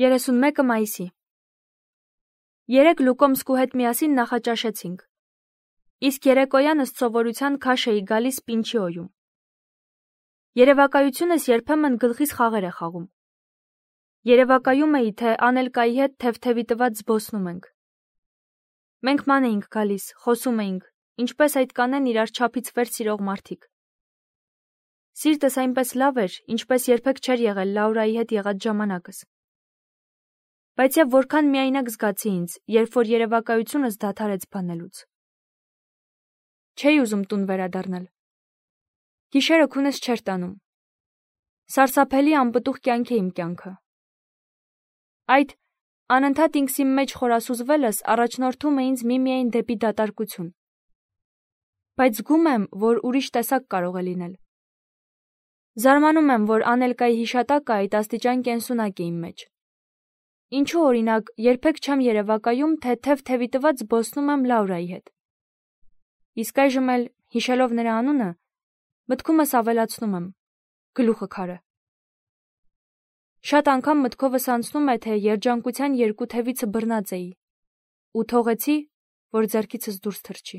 31 մայիսի։ Երեկ Լուկոմսկու հետ միասին նախաճաշեցինք։ Իսկ երեկոյան ըստ սովորության քաշ էի գալիս Պինչիոյում։ Երևակայությունս երբեմն գլխիս խաղեր է խաղում։ Երևակայում էի, թե Անելկայի հետ թեթևի տված զբոսնում ենք։ Մենք ման էինք գալիս, խոսում էինք, ինչպես այդ կանեն իրար չափից վեր սիրող մարդիկ։ Սիրտս այնպես լավ էր, ինչպես երբեք չէր եղել Լաուրայի հետ եղած ժամանակս։ Բայց եւ որքան միայնակ զգացի ինձ, երբ որ երևակայությունս դադարեց բանելուց։ Չէի ուզում տուն վերադառնալ։ Գիշերը քունս չէր տանում։ Սարսափելի անպտուղ կյանք է իմ կյանքը։ Այդ անընդհատ ինքսի մեջ խորասուզվելս առաջնորդում է ինձ միմիայն դեպի դատարկություն։ Բայց զգում եմ, որ ուրիշ տեսակ կարող է լինել։ Զարմանում եմ, որ Անելկայի հիշատակը այդ աստիճան կենսունակ է իմ մեջ։ Ինչու օրինակ երբեք չեմ երևակայում, թե թեթևի տված զբոսնում եմ Լաուրայի հետ։ Իսկ այժմ էլ, հիշելով նրա անունը, մտքումս ավելացնում եմ. գլուխը քարը։ Շատ անգամ մտքովս անցնում է, թե երջանկության երկու թևիցը բռնած էի ու թողեցի, որ ձեռքիցս դուրս թռչի։